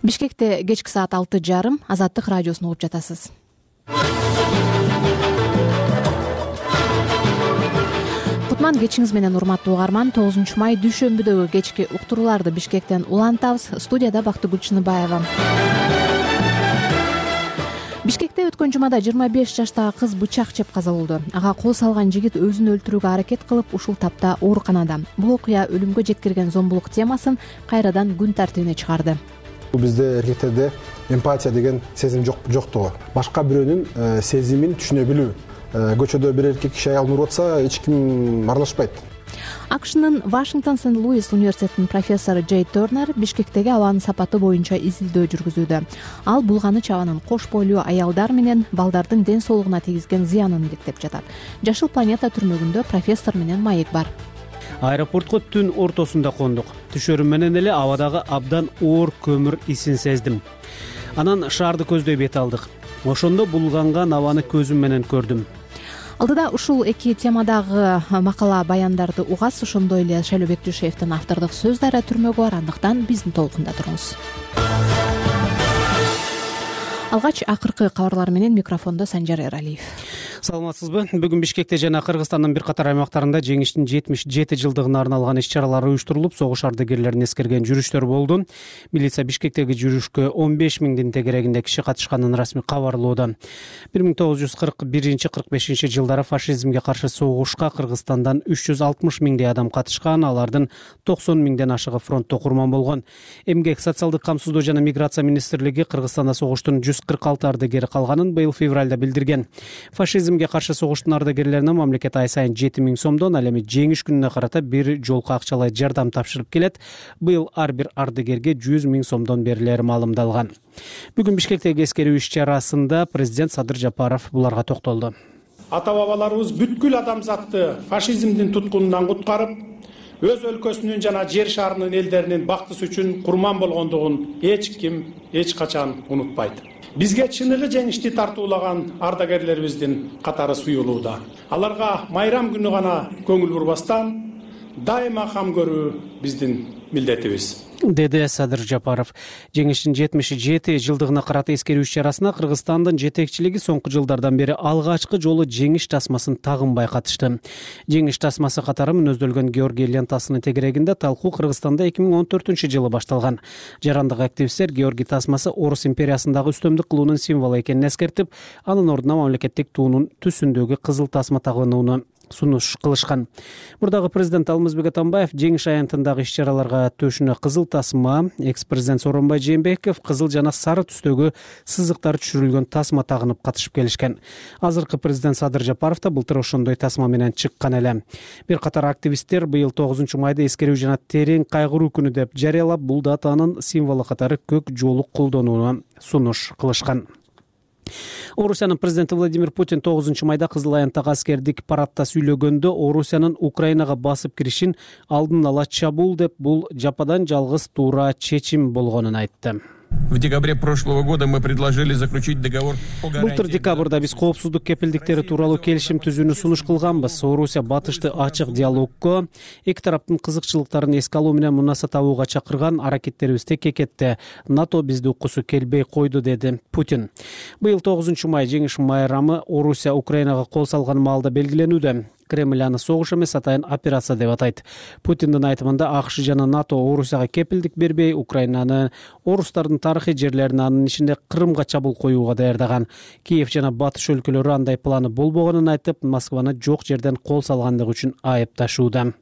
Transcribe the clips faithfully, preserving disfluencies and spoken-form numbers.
Бишкекте кечки саат алты жарым Азаттык радиосун угуп жатасыз. Кутман кечиңиз менен урматтуу угарман. тогузунчу май дүйшөмбүдөгү кечки уктурууларды Бишкектен улантабыз. Студияда Бактыгүл Чыныбаева. Бишкекте өткөн жумада жыйырма беш жаштагы кыз бычак жеп каза болду. Ага кол салган жигит өзүн өлтүрүүгө аракет кылып, ушул тапта ооруканада. Бул окуя өлүмгө жеткирген зомбулук темасын кайрадан күн тартибине чыгарды. Бизде эркектерде эмпатия деген сезим жоктугу. Башка бирөөнүн сезимин түшүнө билүү. Көчөдө бир эркек киши аял нуруп атса, эч ким аралашпайт. АКШнын Вашингтон Сент-Луис университетинин профессору Джей Тернер Бишкектеги абанын сапаты боюнча изилдөө жүргүзүүдө. Ал булганы чабанын кош бойлуу аялдар менен балдардын ден соолугуна тийгизген зыянын иликтеп жатат. Жашыл планета түрмөгүндө профессор менен маек бар. Аэропортко түн ортосунда кондук. Түшөрүм менен эле абадагы абдан оор көмүр исин сездим. Анан шаарды көздөй бет алдык. Ошондо булганган абаны көзүм менен көрдүм. Алдыда ушул эки темадагы макала баяндарды угасыз. Ошондой эле Шайлообек Дүйшеевдин автордук сөз дайра түрмөгү бар. Андыктан биздин толкунда туруңуз. Алгач акыркы кабарлар менен микрофондо Санжар Эралиев. Саламатсызбы? Бүгүн Бишкекте жана Кыргызстандын бир катар аймактарында жеңиштин жетимиш жети жылдыгына арналган иш-чаралар уюштурулуп, согуш ардагерлерин эскерген жүрүштөр болду. Милиция Бишкектеги жүрүшкө он беш миңдин тегерегинде киши катышканын расмий кабарлоодо. бир миң тогуз жүз кырк биринчи — кырк бешинчи жылдары фашизмге каршы согушка Кыргызстандан үч жүз алтымыш миңдей адам катышкан, алардын токсон миңден ашыгы фронтто курман болгон. Эмгек, социалдык камсыздоо жана миграция министрлиги Кыргызстанда согуштун жүз кырк алты ардагери калганын быйыл февралда билдирген. Фашизмге каршы согуштун ардагерлерине мамлекет ай сайын жети миң сомдон, ал эми жеңиш күнүнө карата бир жолку акчалай жардам тапшырып келет. Быйыл ар бир ардагерге жүз миң сомдон берилери маалымдалган. Бүгүн Бишкектеги эскерүү иш-чарасында президент Садыр Жапаров буларга токтолду. Ата-бабаларыбыз бүткүл адамзатты фашизмдин туткунунан куткарып, өз өлкөсүнүн жана жер шарынын элдеринин бактысы үчүн курман болгондугун эч ким эч качан унутпайт. Бизге чыныгы жеңишти тартуулаган ардагерлерибиздин катары суюлууда. Аларга майрам күнү гана көңүл бурбастан дайыма кам көрүү биздин милдетибиз, деди Садыр Жапаров. Жеңиштин жетимиш жети жылдыгына карата эскерүү иш-чарасына Кыргызстандын жетекчилиги соңку жылдардан бери алгачкы жолу жеңиш тасмасын тагынбай катышты. Жеңиш тасмасы катары мүнөздөлгөн Георгий лентасынын тегерегинде талкуу Кыргызстанда эки миң он төртүнчү жылы башталган. Жарандык активисттер Георгий тасмасы Орус империясындагы үстөмдүк кылуунун символу экенин эскертип, анын ордуна мамлекеттик туунун түсүндөгү кызыл тасма тагынууну сунуш кылышкан. Мурдагы президент Алмазбек Атамбаев жеңиш аянтындагы иш-чараларга төшүнө кызыл тасма, экс-президент Сооронбай Жээнбеков кызыл жана сары түстөгү сызыктар түшүрүлгөн тасма тагынып катышып келишкен. Азыркы президент Садыр Жапаров да былтыр ошондой тасма менен чыккан эле. Бир катар активисттер быйыл тогузунчу майда эскерүү жана терең кайгыруу күнү деп жарыялап, бул датанын символу катары көк жоолук колдонууну сунуш кылышкан. Орусиянын президенти Владимир Путин тогузунчу майда Кызыл Аянттагы аскердик парадта сүйлөгөндө Орусиянын Украинага басып киришин алдын ала чабуул деп, бул жападан жалгыз туура чечим болгонун айтты. В декабре прошлого года мы предложили заключить договор о гарантии. Былтыр декабрда биз коопсуздук кепилдиктери тууралуу келишим түзүүнү сунуш кылганбыз. Орусия батышты ачык диалогко, эки тараптын кызыкчылыктарын эске алуу менен мунаса табууга чакырган, аракеттерибиз текке кетти. НАТО бизди уккусу келбей койду, деди Путин. Быйыл тогузунчу май жеңиш майрамы Орусия Украинага кол салган маалда белгиленүүдө. Кремль аны согуш эмес, атайын операция деп атайт. Путиндин айтымында АКШ жана НАТО Орусияга кепилдик бербей, Украинаны, орустардын тарыхый жерлерин, анын ичинде Крымга чабуул коюуга даярдаган. Киев жана батыш өлкөлөрү андай планы болбогонун айтып, Москваны жок жерден кол салгандыгы үчүн айыпташууда.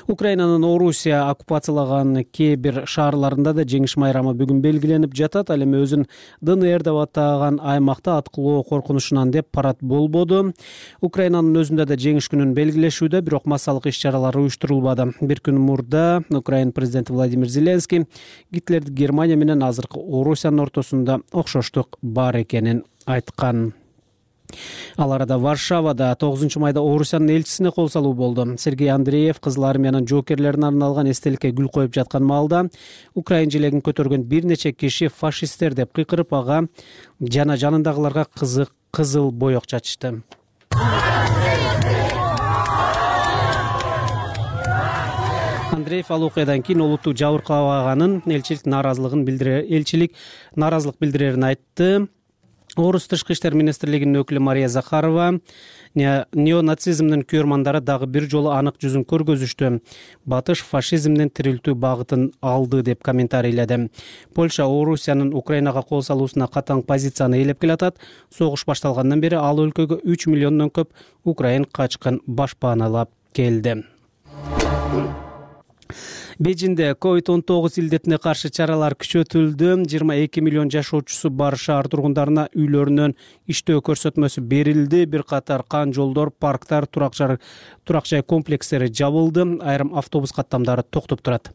Украинанын Орусия оккупациялаган кээ бир шаарларында да жеңиш майрамы бүгүн белгиленип жатат. Ал эми өзүн ДНР деп атаган аймакта аткылоо коркунучунан деп парад болбоду. Украинанын өзүндө да жеңиш күнүн белгилешүүдө, бирок массалык иш-чаралар уюштурулбады. Бир күн мурда Украина президенти Владимир Зеленский Гитлерди Германия менен азыркы Орусиянын ортосунда окшоштук бар экенин айткан. Ал арада Варшавада тогузунчу майда Орусиянын элчисине кол салуу болду. Сергей Андреев Кызыл армиянын жоокерлерине арналган эстеликке гүл коюп жаткан маалда Украин желегин көтөргөн бир нече киши фашисттер деп кыйкырып, ага жана жанындагыларга кызык кызыл боек чачышты. Андреев ал окуядан кийин олутту жабыркабаганын, элчилик нааразылыгын билдире элчилик нааразылык билдирерин айтты. Орус тышкы иштер министрлигинин өкүлү Мария Захарова неонацизмдин күйөрмандары дагы бир жолу анык жүзүн көргөзүштү. Батыш фашизмдин тирилтүү багытын алды деп комментарийледи. Польша Орусиянын Украинага кол салуусуна катаң позицияны ээлеп келатат. Согуш башталгандан бери ал өлкөгө үч миллиондон көп украин качкын башпаналап келди. Бейжинде ковид он тогуз илдетине каршы чаралар күчөтүлдү. жыйырма эки миллион жашоочусу бар шаар тургундарына үйлөрүнөн иштөө көрсөтмөсү берилди. Бир катар кан жолдор, парктар, турак жай комплекстери жабылды. Айрым автобус каттамдары токтоп турат.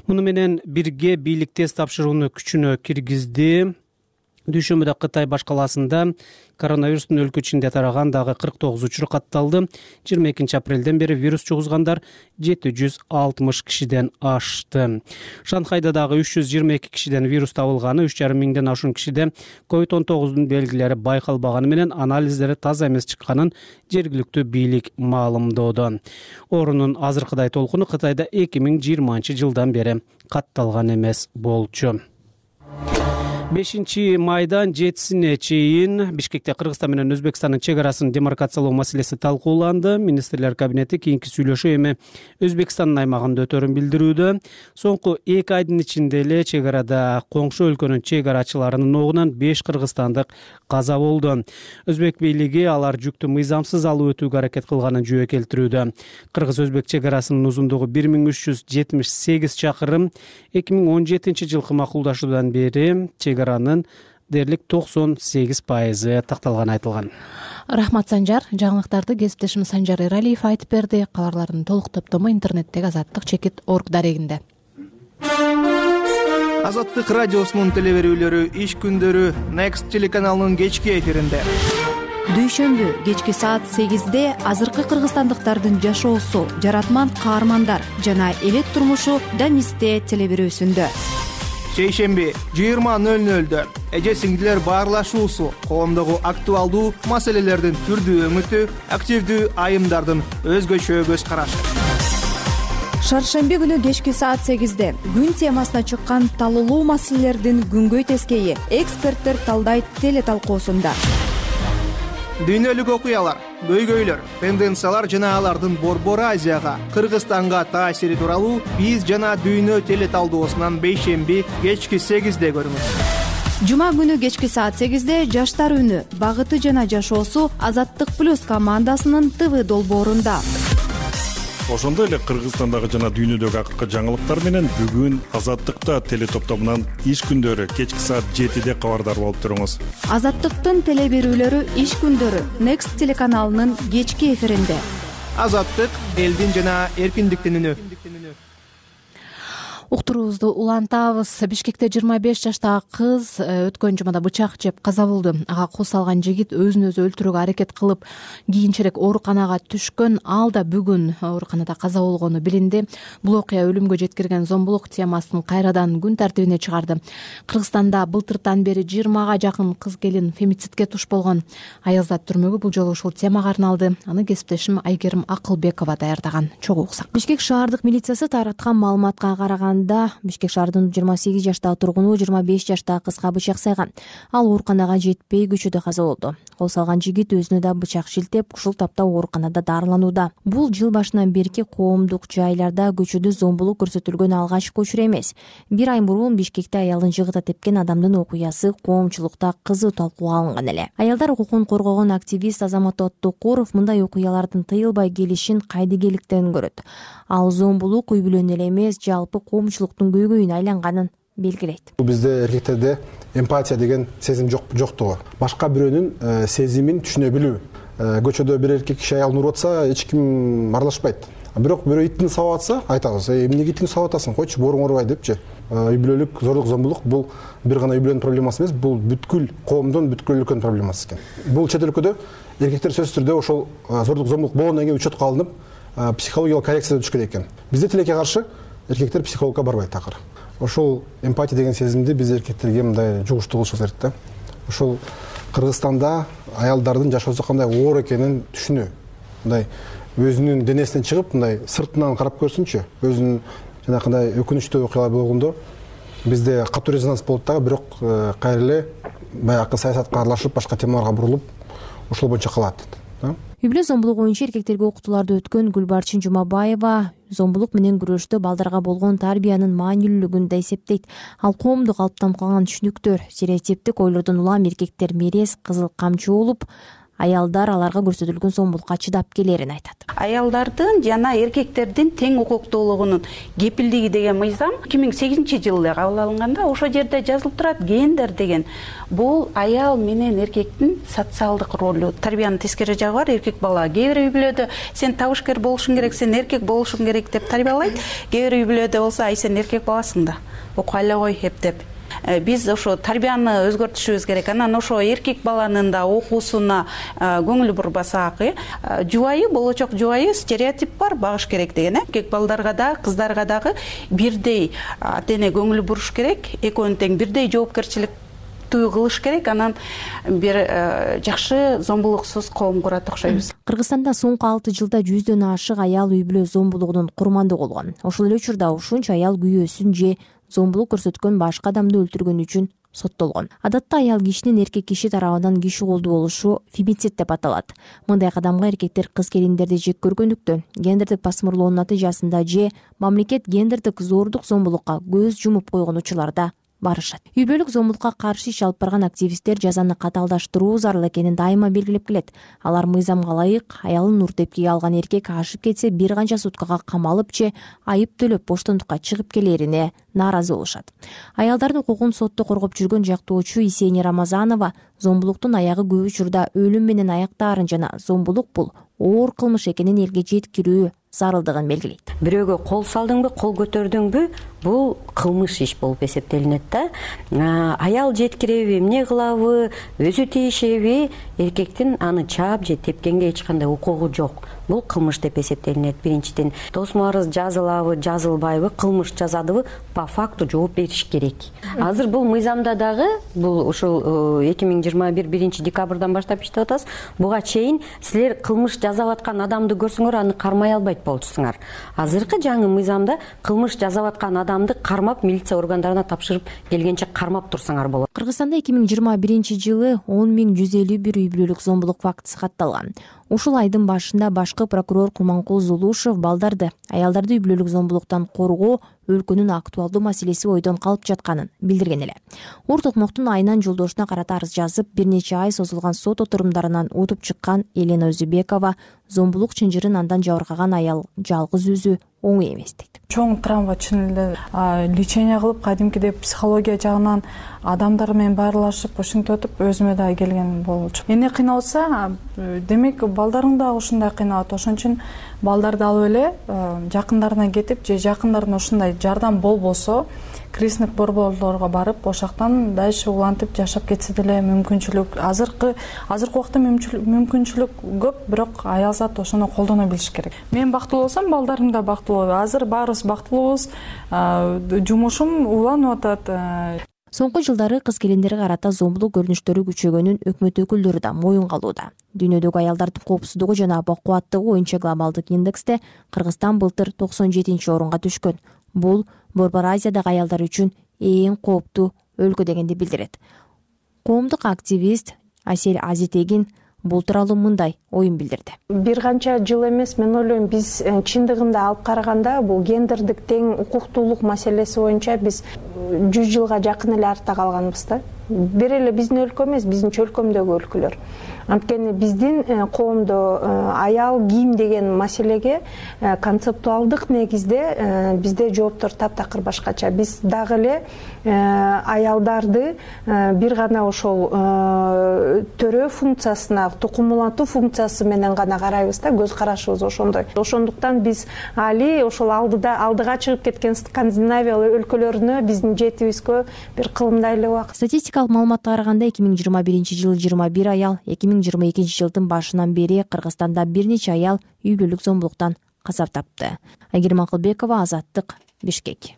Муну менен бирге бийлик тест тапшырууну күчүнө киргизди. Дүйшөмбүдө Кытай баш калаасында коронавирустун өлкө ичинде тараган дагы кырк тогуз учур катталды. жыйырма экинчи апрелден бери вирус жугузгандар жети жүз алтымыш кишиден ашты. Шанхайда дагы үч жүз жыйырма эки кишиден вирус табылганы, үч жарым миңден ашуун кишиде ковид он тогуздун белгилери байкалбаганы менен анализдери таза эмес чыкканын жергиликтүү бийлик маалымдоодо. Оорунун азыркыдай толкуну Кытайда эки миң жыйырманчы жылдан бери катталган эмес болчу. бешинчи майдан жетисине чейин Бишкекте Кыргызстан менен Өзбекстандын чек арасын демаркациялоо маселеси талкууланды. Министрлер кабинети кийинки сүйлөшүү эми Өзбекстандын аймагында өтөрүн билдирүүдө. Соңку эки айдын ичинде эле чек арада коңшу өлкөнүн чек арачыларынын огунан беш кыргызстандык каза болду. Өзбек бийлиги алар жүктү мыйзамсыз алып өтүүгө аракет кылганын жүйө келтирүүдө. Кыргыз-өзбек чек арасынын узундугу бир миң үч жүз жетимиш сегиз чакырым. эки миң он жетинчи жылкы макулдашуудан бери чек аранын дээрлик токсон сегиз пайызы такталганы айтылган. Рахмат, Санжар. Жаңылыктарды кесиптешим Санжар Эралиев айтып берди. Кабарлардын толук топтому интернеттеги азаттык чекит орг дарегинде. Азаттык радиосунун телеберүүлөрү иш күндөрү Next телеканалынын кечки эфиринде. Дүйшөмбү кечки саат сегизде азыркы кыргызстандыктардын жашоосу, жаратман каармандар жана элет турмушу Данисте телеберүүсүндө. Шейшемби жыйырма нөл нөлдө эже сиңдилер баарлашуусу, коомдогу актуалдуу маселелердин түрдүү өңүтү, активдүү айымдардын өзгөчө көз карашы. Шаршемби күнү кечки саат сегизде күн темасына чыккан талуулуу маселелердин күнгөй тескейи эксперттер талдайт теле талкуусунда. Дүйнөлүк окуялар, көйгөйлөр, тенденциялар жана алардын Борбор Азияга, Кыргызстанга таасири тууралуу биз жана дүйнө теле талдоосунан бейшемби кечки сегизде көрүңүз. Жума күнү кечки саат сегизде жаштар үнү, багыты жана жашоосу Азаттык плюс командасынын ТВ долбоорунда. Ошондой эле Кыргызстандагы жана дүйнөдөгү акыркы жаңылыктар менен бүгүн Азаттыкта теле топтомунан иш күндөрү кечки саат жетиде кабардар болуп туруңуз. Азаттыктын теле берүүлөрү иш күндөрү Next телеканалынын кечки эфиринде. Азаттык элдин жана эркиндиктин үнү. Уктуруубузду улантабыз. Бишкекте жыйырма беш жаштагы кыз өткөн жумада бычак жеп каза болду. Ага кол салган жигит өзүн өзү өлтүрүүгө аракет кылып, кийинчерээк ооруканага түшкөн. Ал да бүгүн ооруканада каза болгону билинди. Бул окуя өлүмгө жеткирген зомбулук темасын кайрадан күн тартибине чыгарды. Кыргызстанда былтыртан бери жыйырмага жакын кыз келин фемицидке туш болгон. Аялзат түрмөгү бул жолу ушул темага арналды. Аны кесиптешим Айгерим Акылбекова даярдаган. Чогуу уксак. Бишкек шаардык милициясы тараткан маалыматка караган Бишкек шаарынын жыйырма сегиз жаштагы тургуну жыйырма беш жаштагы кызга бычак сайган. Ал ооруканага жетпей көчөдө каза болду. Кол салган жигит өзүнө да бычак шилтеп, ушул тапта ооруканада дарыланууда. Бул жыл башынан берки коомдук жайларда көчөдө зомбулук көрсөтүлгөн алгачкы учур эмес. Бир ай мурун Бишкекте аялын жыгыта тепкен адамдын окуясы коомчулукта кызуу талкууга алынган эле. Аялдар укугун коргогон активист Азамат Оттокуров мындай окуялардын тыйылбай келишин кайдыгейликтен көрөт. Ал зомбулук үй бүлөнү эле эмес, жалпы коомчулуктун көйгөйүнө айланганын белгилейт. Бизде эркектерде эмпатия деген сезим жок жоктугу. Башка бирөөнүн сезимин түшүнө билүү. Көчөдө бир эркек киши аялын уруп атса, эч ким аралашпайт. Бирок бирөө итин сабап атса, айтабыз: "Э, эмнеге итин сабап атасың? Койчу, боруң урубай" депчи. Үй бүлөлүк зорлук, зомбулук бул бир гана үй бүлөнүн проблемасы эмес, бул бүткүл коомдун, бүткүл өлкөнүн проблемасы экен. Бул чет өлкөдө эркектер сөзсүз түрдө ошол зорлук, зомбулук болгондон кийин учетко алынып, психологиялык коррекцияга түшүш керек экен. Бизде тилекке каршы эркектер психологко барбайт такыр. Ошол эмпатия деген сезимди биз эркектерге мындай жугуштуу кылышыбыз керек да. Ошол Кыргызстанда аялдардын жашоосу кандай оор экенин түшүнүү. Мындай өзүнүн денесинен чыгып мындай сыртынан карап көрсүнчү, өзүнүн жанакындай өкүнүчтүү окуялар болгондо бизде катуу резонанс болот дагы, бирок кайра эле баягы саясатка аралашып, башка темаларга бурулуп, ошол боюнча калат. үй бүлө зомбулугу боюнча эркектерге окутууларды өткөн Гүлбарчын Жумабаева зомбулук менен күрөштө балдарга болгон тарбиянын маанилүүлүгүн да эсептейт. Ал коомдо калыптанып калган түшүнүктөр, стереотиптик ойлордон улам эркектер мерез, кызыл камчы болуп, аялдар аларга көрсөтүлгөн зомбулукка чыдап келерин айтат. Аялдардын жана эркектердин тең укуктуулугунун кепилдиги деген мыйзам эки миң сегизинчи жылы кабыл алынганда ошол жерде жазылып турат. Гендер деген бул аял менен эркектин социалдык ролу, тарбиянын тескери жагы бар. Эркек бала кээ бир үй бүлөдө сен табышкер болушуң керек, сен эркек болушуң керек деп тарбиялайт. Кээ бир үй бүлөдө болсо ай сен эркек баласың да, окуй эле кой эптеп. Биз ошо тарбияны өзгөртүшүбүз керек. Анан ошо эркек баланын да окуусуна көңүл бурбасак, жубайы, болочок жубайы стереотип бар, багыш керек деген. Эркек балдарга да, кыздарга дагы бирдей ата эне көңүл буруш керек. Экөөнүн тең бирдей жоопкерчиликтүү кылыш керек. Анан бир жакшы зомбулуксуз коом курат окшойбуз. Кыргызстанда соңку алты жылда жүздөн ашык аял үй бүлө зомбулугунун курмандыгы болгон. Ошол эле учурда ушунча аял күйөөсүн же зомбулук көрсөткөн башка адамды өлтүргөн үчүн соттолгон. Адатта аял кишинин эркек киши тарабынан киши колдуу болушу фемицид деп аталат. Мындай кадамга эркектер кыз келиндерди жек көргөндүктөн, гендердик басмырлоонун натыйжасында же мамлекет гендердик зордук зомбулукка көз жумуп койгон учурларда барышат. Үй бүлөлүк зомбулукка каршы иш алып барган активисттер жазаны катаалдаштыруу зарыл экенин дайыма белгилеп келет. Алар мыйзамга ылайык аялын нуртепкеге алган эркек ашып кетсе бир канча суткага камалып же айып төлөп боштондукка чыгып келерине нааразы болушат. Аялдардын укугун сотто коргоп жүргөн жактоочу Исени Рамазанова зомбулуктун аягы көп учурда өлүм менен аяктаарын жана зомбулук бул оор кылмыш экенин элге жеткирүү зарылдыгын белгилейт. Бирөөгө кол салдыңбы, кол көтөрдүңбү, бул кылмыш иш болуп эсептелинет да. Аял жеткиреби, эмне кылабы, өзү тийишеби, эркектин аны чаап же тепкенге эч кандай укугу жок. Бул кылмыш деп эсептелинет. Биринчиден, тосмо арыз жазылабы, жазылбайбы, кылмыш жасадыбы, по факту жооп бериш керек. Азыр бул мыйзамда дагы, бул ушул эки миң жыйырма бир биринчи декабрдан баштап иштеп атабыз. Буга чейин силер кылмыш жасап аткан адамды көрсөңөр, аны кармай албайт болчусуңар. Азыркы жаңы мыйзамда кылмыш жасап аткан адамды кармап, милиция органдарына тапшырып келгенче кармап турсаңар болот. Кыргызстанда эки миң жыйырма биринчи жылы он миң жүз элүү бир үй бүлөлүк зомбулук фактысы катталган. Ушул айдын башында башкы прокурор Курманкул Зулушев балдарды, аялдарды үй бүлөлүк зомбулуктан коргоо өлкөнүн актуалдуу маселеси ойдон калып жатканын билдирген эле. Ур Токмоктун айынан жолдошуна карата арыз жазып, бир нече ай созулган сот отурумдарынан утуп чыккан Елена Өзүбекова зомбулук чынжырын андан жабыркаган аял жалгыз өзү оңой эмес дейт. Чоң травма чын эле лечение кылып, кадимкидей психология жагынан адамдар менен баарлашып, ушинтип өтүп өзүмө да келген болчу. Эмне кыйналса, демек балдарың да ушундай кыйналат. Ошон үчүн балдарды алып эле жакындарына кетип, же жакындарына ушундай жардам болбосо, кризисник борборлорго барып, ошактан дальше улантып жашап кетсе деле мүмкүнчүлүк. Азыркы азыркы убакта мүмкүнчүлүк көп, бирок аял зат ошону колдоно билиш керек. Мен бактылуу болсом, балдарым да бактылуу. Азыр баарыбыз бактылуубуз, жумушум уланып атат. Соңку жылдары кыз келиндерге карата зомбулук көрүнүштөрү күчөгөнүн өкмөт өкүлдөрү да моюнга алууда. Дүйнөдөгү аялдардын коопсуздугу жана бакубаттыгы боюнча глобалдык индексте Кыргызстан былтыр токсон жетинчи орунга түшкөн. Бул Борбор Азиядагы аялдар үчүн эң кооптуу өлкө дегенди билдирет. Коомдук активист Асель Азитегин бул тууралуу мындай оюн билдирди. Бир канча жыл эмес, мен ойлойм, биз чындыгында алып караганда бул гендердик тең укуктуулук маселеси боюнча биз жүз жылга жакын эле артта калганбыз да. Бир эле биздин өлкө эмес, биздин өлкөмдөгү өлкөлөр. Анткени биздин коомдо аял кийим деген маселеге концептуалдык негизде бизде жооптор таптакыр башкача. Биз дагы эле аялдарды бир гана ошол төрөө функциясына, тукум улантуу функциясы менен гана карайбыз да, көз карашыбыз ошондой. Ошондуктан биз али ошол алдыда алдыга чыгып кеткен Скандинавия өлкөлөрүнө биздин жетибизгө бир кылымдай эле убакыт. Статистикалык маалыматка караганда эки миң жыйырма биринчи жылы жыйырма бир аял, эки миң жыйырма экинчи жылдын башынан бери Кыргызстанда бир нече аял үй бүлөлүк зомбулуктан каза тапты. Айгерим Акылбекова, Азаттык, Бишкек.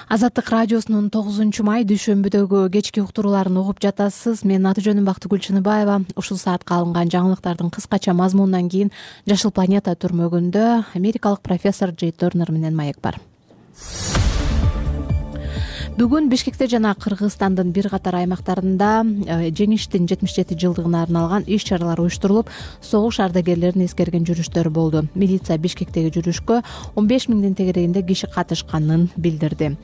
Азаттык радиосунун тогузунчу май дүйшөмбүдөгү кечки уктурууларын угуп жатасыз. Менин аты жөнүм Бактыгүл Чыныбаева. Ушул саатка алынган жаңылыктардын кыскача мазмунунан кийин Жашыл планета түрмөгүндө америкалык профессор Джей Тернер менен маек бар. Бүгүн Бишкекте жана Кыргызстандын бир катар аймактарында жеңиштин жетимиш жети жылдыгына арналган иш чаралар уюштурулуп, согуш ардагерлерин эскерген жүрүштөр болду. Милиция Бишкектеги жүрүшкө он беш миңдин тегерегинде киши катышканын билдирди.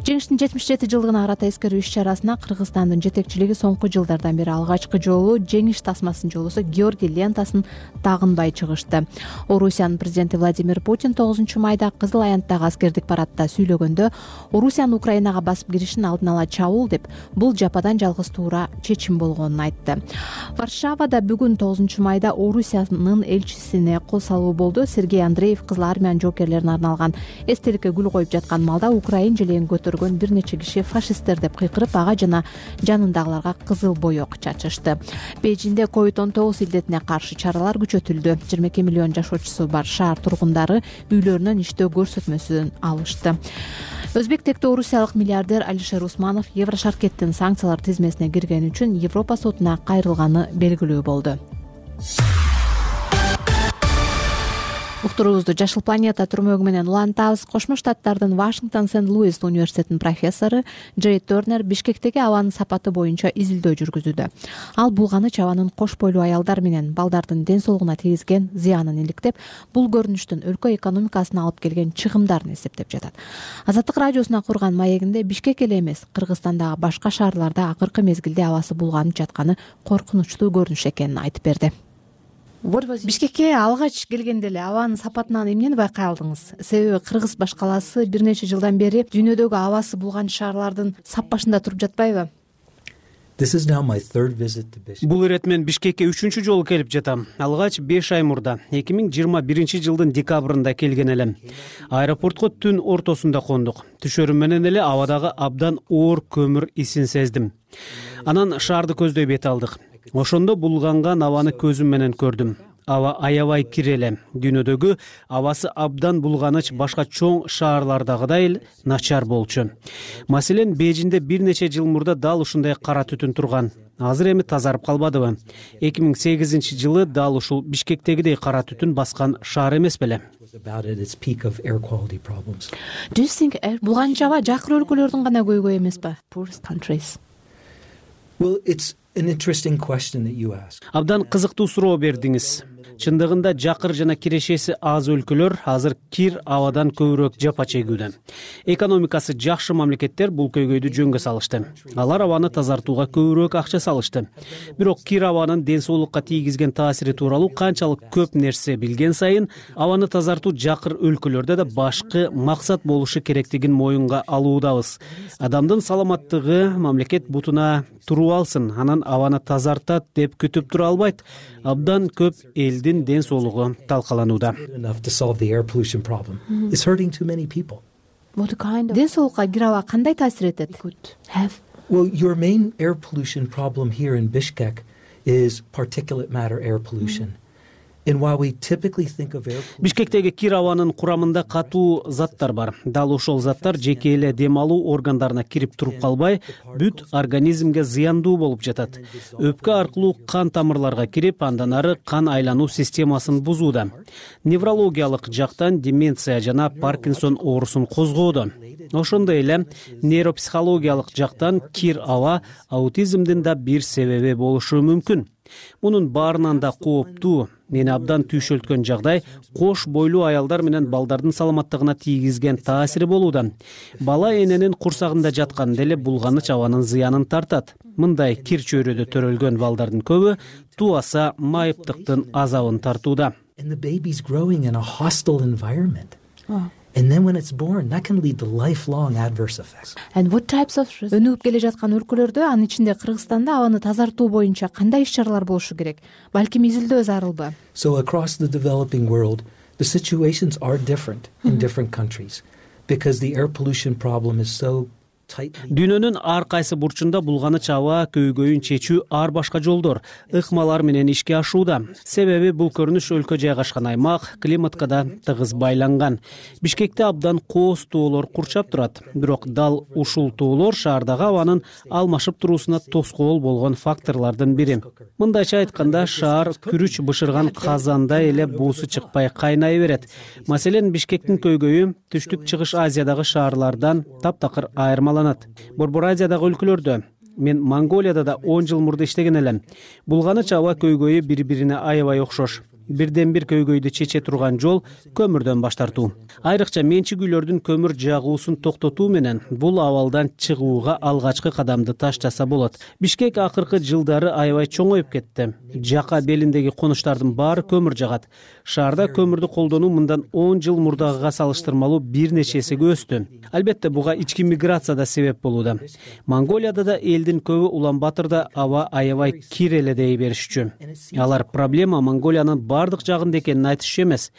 Жеңиштин жетимиш жети жылдыгына карата эскерүү иш чарасына Кыргызстандын жетекчилиги соңку жылдардан бери алгачкы жолу жеңиш тасмасын жолусу Георгий лентасын тагынбай чыгышты. Орусиянын президенти Владимир Путин тогузунчу майда Кызыл аянттагы аскердик парадта сүйлөгөндө Орусиянын Украинага басып киришин алдын ала чабуул деп, бул жападан жалгыз туура чечим болгонун айтты. Варшавада бүгүн тогузунчу майда Орусиянын элчисине кол салуу болду. Сергей Андреев Кызыл армиянын жоокерлерине арналган эстеликке гүл коюп жаткан малда Украин желегин көтөргөн бир нече киши фашисттер деп кыйкырып, ага жана жанындагыларга кызыл боек чачышты. Бейжинде ковид он тогуз илдетине каршы чаралар күчөтүлдү. жыйырма эки миллион жашоочусу бар шаар тургундары үйлөрүнөн иштөө көрсөтмөсүн алышты. Өзбек тектүү орусиялык миллиардер Алишер Усманов Еврошаркеттин санкциялар тизмесине киргени үчүн Европа сотуна кайрылганы белгилүү болду. Уктуруубузду Жашыл планета түрмөгү менен улантабыз. Кошмо Штаттардын Вашингтон Сент-Луис университетинин профессору Джей Тернер Бишкектеги абанын сапаты боюнча изилдөө жүргүзүүдө. Ал булганыч абанын кош бойлуу аялдар менен балдардын ден соолугуна тийгизген зыянын иликтеп, бул көрүнүштүн өлкө экономикасына алып келген чыгымдарын эсептеп жатат. Азаттык радиосуна курган маегинде Бишкек эле эмес, Кыргызстандагы башка шаарларда акыркы мезгилде абасы булганып жатканы коркунучтуу көрүнүш экенин айтып берди. Бишкекке алгач келгенде эле абанын сапатынан эмнени байкай алдыңыз? Себеби кыргыз башкаласы бир нече жылдан бери дүйнөдөгү абасы булган шаарлардын сап башында туруп жатпайбы? Бул ирет мен Бишкекке үчүнчү жолу келип жатам. Алгач беш ай мурда, эки миң жыйырма биринчи жылдын декабрында келген элем. Аэропортко түн ортосунда кондук. Түшөрүм менен эле абадагы абдан оор көмүр исин сездим. Анан шаарды көздөй бет алдык. Ошондо булганган абаны көзүм менен көрдүм. Аба аябай кир эле. Дүйнөдөгү абасы абдан булганыч башка чоң шаарлардагыдай эле начар болчу. Маселен, Бейжинде бир нече жыл мурда дал ушундай кара түтүн турган. Азыр эми тазарып калбадыбы? эки миң сегизинчи жылы дал ушул Бишкектегидей кара түтүн баскан шаар эмес беле? Булганыч аба жакыр өлкөлөрдүн гана көйгөйү эмеспи? Абдан кызыктуу суроо бердиңиз. Чындыгында жакыр жана кирешеси аз өлкөлөр азыр кир абадан көбүрөөк жапа чегүүдө. Экономикасы жакшы мамлекеттер бул көйгөйдү жөнгө салышты. Алар абаны тазартууга көбүрөөк акча салышты. Бирок кир абанын ден соолукка тийгизген таасири тууралуу канчалык көп нерсе билген сайын, абаны тазартуу жакыр өлкөлөрдө да башкы максат болушу керектигин моюнга алуудабыз. Адамдын саламаттыгы мамлекет бутуна туруп алсын, анан абаны тазартат деп күтүп тура албайт. Абдан көп элдин ден соолугу талкаланууда. Ден соолукка кир аба кандай таасир этет? Well, your main air pollution problem here in Bishkek is particulate matter air pollution. And while we typically think of air pollution... Бишкектеги кир абанын курамында катуу заттар бар. Дал ошол заттар жеке эле дем алуу органдарына кирип туруп калбай, бүт организмге зыяндуу болуп жатат. Өпкө аркылуу кан тамырларга кирип, андан ары кан айлануу системасын бузууда. Неврологиялык жактан деменция жана Паркинсон оорусун козгоодо. Ошондой эле нейропсихологиялык жактан кир аба аутизмдин да бир себеби болушу мүмкүн. Мунун баарынан да кооптуу, мени абдан түйшөлткөн жагдай кош бойлуу аялдар менен балдардын саламаттыгына тийгизген таасири болууда. Бала эненин курсагында жатканда эле булганыч абанын зыянын тартат. Мындай кир чөйрөдө төрөлгөн балдардын көбү тубаса майыптыктын азабын тартууда. And then when it's born, that can lead to lifelong adverse effects. And what types of өнүгүп келе жаткан өлкөлөрдө, анын ичинде Кыргызстанда абаны тазартуу боюнча кандай иш-чаралар болушу керек? Балким изилдөө зарылбы? So across the developing world, the situations are different in different countries because the air pollution problem is so дүйнөнүн ар кайсы бурчунда булганыч аба көйгөйүн чечүү ар башка жолдор, ыкмалар менен ишке ашууда. Себеби бул көрүнүш өлкө жайгашкан аймак климатка да тыгыз байланган. Бишкекте абдан кооз тоолор курчап турат. Бирок дал ушул тоолор шаардагы абанын алмашып туруусуна тоскоол болгон факторлордун бири. Мындайча айтканда, шаар күрүч бышырган казандай эле буусу чыкпай кайнай берет. Маселен, Бишкектин көйгөйү түштүк чыгыш Азиядагы шаарлардан таптакыр айырмаланат. Борбор Азиядагы өлкөлөрдө, мен Монголияда да он жыл мурда иштеген элем. Булганыч аба көйгөйү бири-бирине аябай окшош. Бирден бир көйгөйдү чече турган жол көмүрдөн баш тартуу. Айрыкча менчик үйлөрдүн көмүр жагуусун токтотуу менен бул абалдан чыгууга алгачкы кадамды таштаса болот. Бишкек акыркы жылдары аябай чоңоюп кетти. Жака белиндеги конуштардын баары көмүр жагат. Шаарда көмүрдү колдонуу мындан он жыл мурдагыга салыштырмалуу бир нече эсеге өстү. Албетте, буга ички миграция да себеп болууда. Монголияда да элдин көбү Улан-Батырда аба аябай кир эле дей беришчү. Алар проблема Монголиянын бардык жагында экенин айтышчу эмес.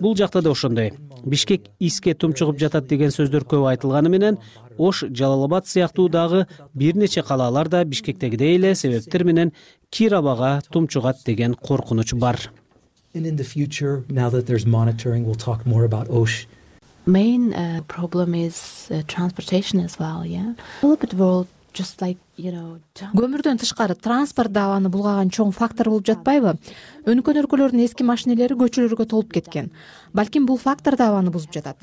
Бул жакта да ошондой. Бишкек иске тумчугуп жатат деген сөздөр көп айтылганы менен, Ош, Жалал-Абад сыяктуу дагы бир нече калалар да Бишкектегидей эле себептер менен кир абага тумчугат деген коркунуч бар. And in the future, now that there's monitoring, we'll talk more about Osh. Main uh, problem is uh, transportation as well, yeah. Developed world just like, you know, көмүрдөн тышкары транспорт да абаны булгаган чоң фактор болуп жатпайбы? Өнүккөн өлкөлөрдүн эски машинелери көчөлөргө толуп кеткен. Балким бул фактор да абаны бузуп жатат.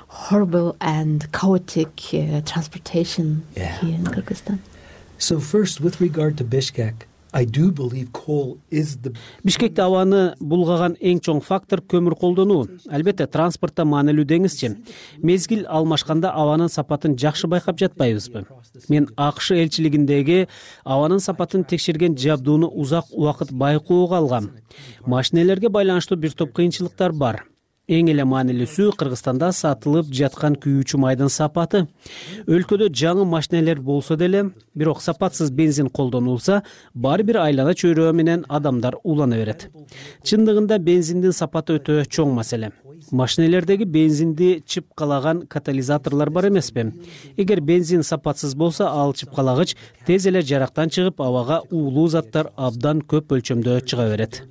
Horrible and chaotic uh, transportation yeah. here in Kyrgyzstan. So first, with regard to Bishkek, I do believe coal is the Бишкекте абаны булгаган эң чоң фактор көмүр колдонуу. Албетте, транспортто маанилүү деңизчи. Мезгил алмашканда абанын сапатын жакшы байкап жатпайбызбы? Мен АКШ элчилигиндеги абанын сапатын текшерген жабдууну узак убакыт байкоого алгам. Машинелерге байланыштуу бир топ кыйынчылыктар бар. Эң эле маанилүүсү Кыргызстанда сатылып жаткан күйүүчү майдын сапаты. Өлкөдө жаңы машинелер болсо деле, бирок сапатсыз бензин колдонулса, баары бир айлана чөйрөө менен адамдар улана берет. Чындыгында бензиндин сапаты өтө чоң маселе. Машинелердеги бензинди чыпкалаган катализаторлор бар эмеспи? Эгер бензин сапатсыз болсо, ал чыпкалагыч тез эле жарактан чыгып, абага уулуу заттар абдан көп өлчөмдө чыга берет.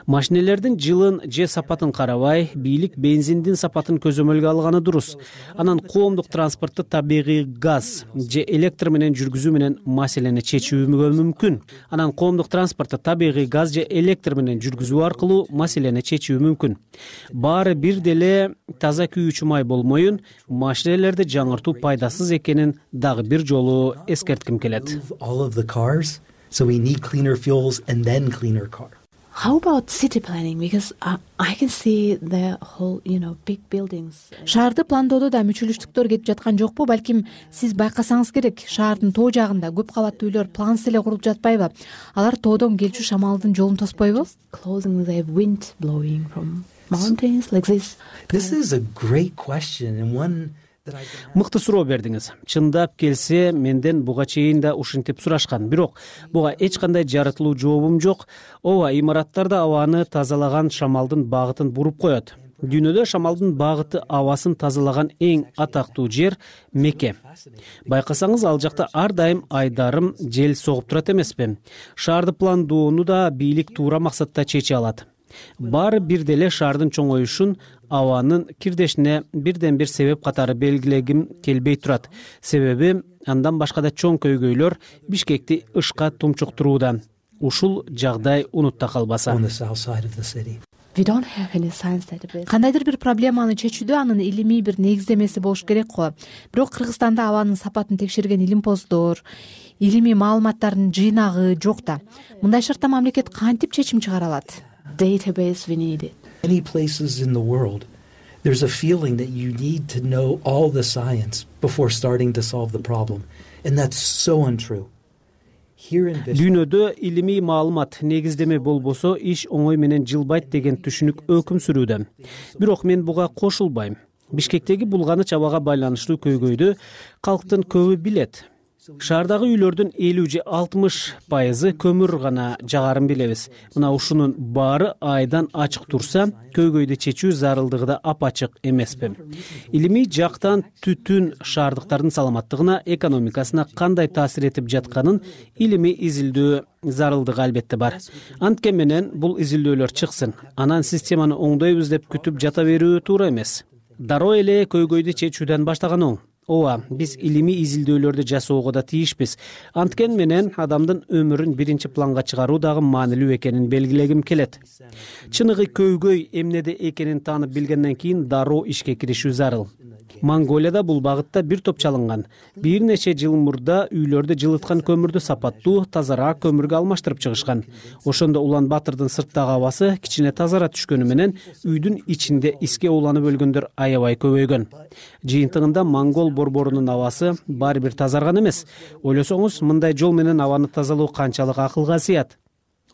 Машинелердин жылын же сапатын карабай, бийлик бензиндин сапатын көзөмөлгө алганы дурус. Анан коомдук транспортто табигый газ же электр менен жүргүзүү менен маселени чечүүгө мүмкүн. Анан коомдук транспортто табигый газ же электр менен жүргүзүү аркылуу маселени чечүү мүмкүн. Баары бир деле таза күйүүчү май болмоюн, машинелерди жаңыртуу пайдасыз экенин дагы бир жолу эскертким келет. All of the cars, so we need cleaner fuels and then cleaner cars. How about city planning? Because uh, I can see the whole, you know, big buildings. Шаарды пландоодо да мүчүлүштүктөр кетип жаткан жокпу? Балким сиз байкасаңыз керек, шаардын тоо жагында көп кабаттуу үйлөр плансыз эле курулуп жатпайбы? Алар тоодон келчү шамалдын жолун тоспойбу? Closing the wind blowing from mountains like this. This is a great question and one Мыкты суроо бердиңиз. Чындап келсе, менден буга чейин да ушинтип сурашкан. Бирок буга эч кандай жаратылуу жообум жок. Ооба, имараттарда абаны тазалаган шамалдын багытын буруп коет. Дүйнөдө шамалдын багыты абасын тазалаган эң атактуу жер Мекке. Байкасаңыз, ал жакта ар дайым айдарым жел согуп турат эмеспи? Шаарды пландоону да бийлик туура максатта чече алат. Баары бир деле шаардын чоңоюшун абанын кирдешине бирден бир себеп катары белгилегим келбей турат. Себеби андан башка да чоң көйгөйлөр Бишкекти ышка тумчуктурууда. Ушул жагдай унутта калбаса. Кандайдыр бир проблеманы чечүүдө анын илимий бир негиздемеси болуш керек го. Бирок Кыргызстанда абанын сапатын текшерген илимпоздор, илимий маалыматтардын жыйнагы жок да. Мындай шартта мамлекет кантип чечим чыгара алат? Database we need it. Many places in the world, there's a feeling that you need to know all the science before starting to solve the problem. And that's so untrue. Дүйнөдө илимий маалымат негиздеме болбосо, иш оңой менен жылбайт деген түшүнүк өкүм сүрүүдө. Бирок мен буга кошулбайм. Бишкектеги булганыч абага байланыштуу көйгөйдү калктын көбү билет. Шаардагы үйлөрдүн элүү же алтымыш пайызы көмүр гана жагарын билебиз. Мына ушунун баары айдан ачык турса, көйгөйдү чечүү зарылдыгы да апачык эмеспи. Илимий жактан түтүн шаардыктардын саламаттыгына, экономикасына кандай таасир этип жатканын илимий изилдөө зарылдыгы албетте бар. Антке менен бул изилдөөлөр чыксын. Анан системаны оңдойбуз деп күтүп жата берүү туура эмес. Дароо эле көйгөйдү чечүүдөн баштаган оң. Ооба, биз илимий изилдөөлөрдү жасоого да тийишпиз. Анткен менен адамдын өмүрүн биринчи планга чыгаруу дагы маанилүү экенин белгилегим келет. Чыныгы көйгөй эмнеде экенин таанып билгенден кийин дароо ишке киришүү зарыл. Монголияда бул багытта бир топ чалынган. Бир нече жыл мурда үйлөрдү жылыткан көмүрдү сапаттуу, тазараак көмүргө алмаштырып чыгышкан. Ошондо Улан Батырдын сырттагы абасы кичине тазара түшкөнү менен үйдүн ичинде иске ууланып өлгөндөр аябай көбөйгөн. Жыйынтыгында монгол борборунун абасы баары бир тазарган эмес. Ойлосоңуз, мындай жол менен абаны тазалоо канчалык акылга сыят.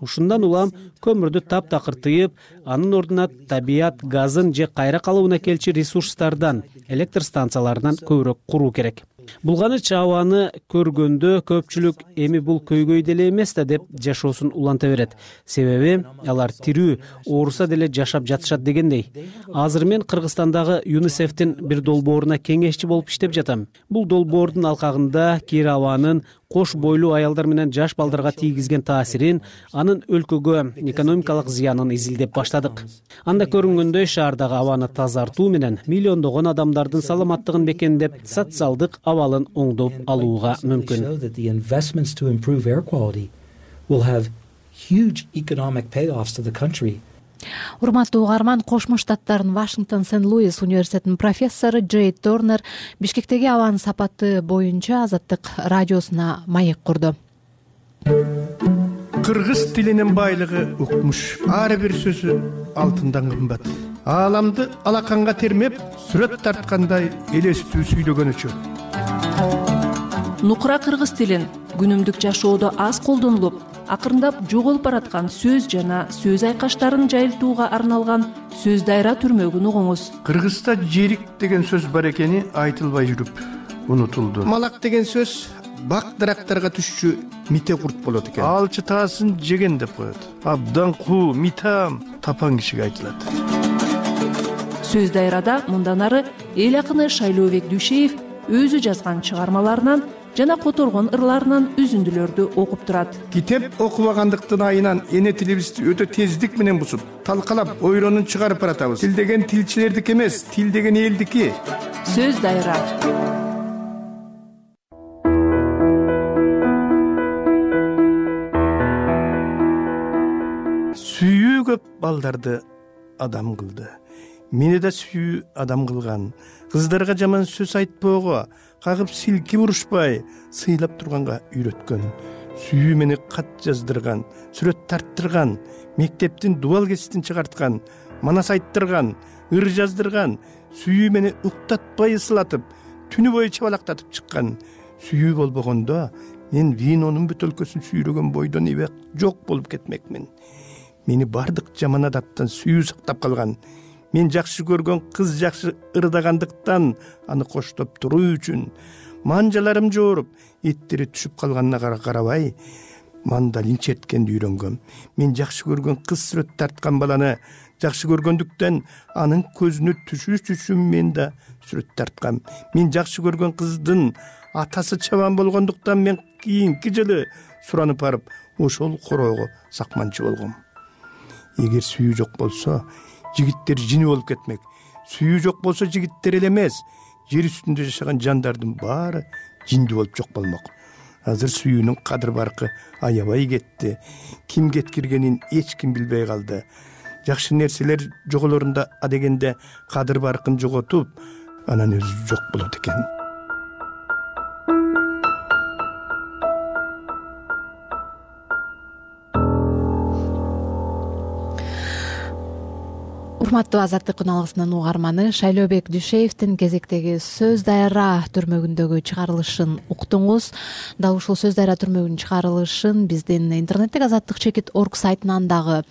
Ушундан улам көмүрдү таптакыр тыйып, анын ордуна табият газын же кайра калыбына келчү ресурстардан, электр станцияларынан көбүрөөк куруу керек. Булганыч абаны көргөндө көпчүлүк эми бул көйгөй деле эмес да деп жашоосун уланта берет. Себеби алар тирүү, ооруса деле жашап жатышат дегендей. Азыр мен Кыргызстандагы ЮНИСЕФтин бир долбооруна кеңешчи болуп иштеп жатам. Бул долбоордун алкагында кир абанын кош бойлуу аялдар менен жаш балдарга тийгизген таасирин, анын өлкөгө экономикалык зыянын изилдеп баштадык. Анда көрүнгөндөй шаардагы абаны тазартуу менен миллиондогон адамдардын саламаттыгын бекемдеп, социалдык абалын оңдоп алууга мүмкүн. Урматтуу угарман, Кошмо Штаттардын Вашингтон Сент-Луис университетинин профессору Джей Торнер Бишкектеги абанын сапаты боюнча Азаттык радиосуна маек курду. Кыргыз тилинин байлыгы укмуш. Ар бир сөзү алтындан кымбат. Ааламды алаканга термеп, сүрөт тарткандай элестүү сүйлөгөнүчү. Нукура кыргыз тилин күнүмдүк жашоодо аз колдонулуп, акырындап жоголуп бараткан сөз жана сөз айкаштарын жайылтууга арналган сөз дайра түрмөгүн угуңуз. Кыргызда жерик деген сөз бар экени айтылбай жүрүп унутулду. Малак деген сөз бак дарактарга түшчү мите курт болот экен. Алчы таасын жеген деп коет. Абдан куу, митам тапан кишиге айтылат. Сөз дайрада мындан ары эл акыны Шайлообек Дүйшеев өзү жазган чыгармаларынан жана которгон ырларынан үзүндүлөрдү окуп турат. Китеп окубагандыктын айынан эне тилибизди өтө тездик менен бузуп, талкалап, ойронун чыгарып баратабыз. Тил деген тилчилердики эмес, тил деген элдики. Сөз дайра. Сүйүү көп балдарды адам кылды. Мени да сүйүү адам кылган. Кыздарга жаман сөз айтпоого, кагып силки урушпай, сыйлап турганга үйрөткөн. Сүйүү мени кат жаздырган, сүрөт тарттырган, мектептин дубал кеситин чыгарткан, манас айттырган, ыр жаздырган, сүйүү мени уктатпай ысылатып, түнү бою чабалактатып чыккан. Сүйүү болбогондо мен винонун бөтөлкөсүн сүйрөгөн бойдон эбе жок болуп кетмекмин. Мени бардык жаман адаттан сүйүү сактап калган. Мен жакшы көргөн кыз жакшы ырдагандыктан аны коштоп туруу үчүн манжаларым жооруп, эттери түшүп калганына карабай, мандалин черткенди үйрөнгөм. Мен жакшы көргөн кыз сүрөт тарткан баланы жакшы көргөндүктөн анын көзүнө түшүш үчүн мен да сүрөт тарткам. Мен жакшы көргөн кыздын атасы чабан болгондуктан мен кийинки жылы суранып барып, ошол короого сакманчы болгом. Эгер сүйүү жок болсо, жигиттер жини болуп кетмек. Сүйүү жок болсо жигиттер эле эмес, жер үстүндө жашаган жандардын баары жинди болуп жок болмок. Азыр сүйүүнүн кадыр баркы аябай кетти. Ким кеткиргенин эч ким билбей калды. Жакшы нерселер жоголорунда адегенде кадыр баркын жоготуп, анан өзү жок болот экен. Урматтуу Азаттык күналыгынын угарманы, Шайлообек Дүйшеевдин кезектеги сөз дайра түрмөгүндөгү чыгарылышын уктуңуз. Дал ушул сөз дайра түрмөгүнүн чыгарылышын биздин интернеттеги азаттык чекит орг сайтынан дагы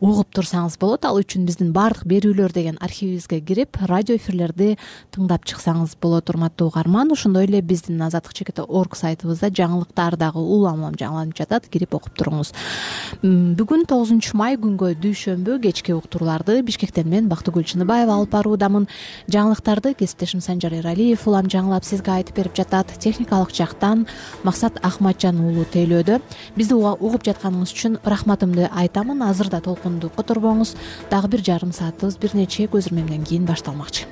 угуп турсаңыз болот. Ал үчүн биздин баардык берүүлөр деген архивибизге кирип, радио эфирлерди тыңдап чыксаңыз болот, урматтуу угарман. Ошондой эле биздин азаттык чекит орг сайтыбызда жаңылыктар дагы улам улам жаңыланып жатат, кирип окуп туруңуз. Бүгүн тогузунчу май күнгө дүйшөмбү кечки уктурууларды Бишкектен мен Бактыгүл Чыныбаева алып баруудамын. Жаңылыктарды кесиптешим Санжар Эралиев улам жаңылап сизге айтып берип жатат. Техникалык жактан Максат Ахматжан уулу тейлөөдө. Бизди угуп жатканыңыз үчүн рахматымды айтамын. Азырда толкунду которбоңуз. Дагы бир жарым саатыбыз бир нече көзүрмемден кийин башталмакчы.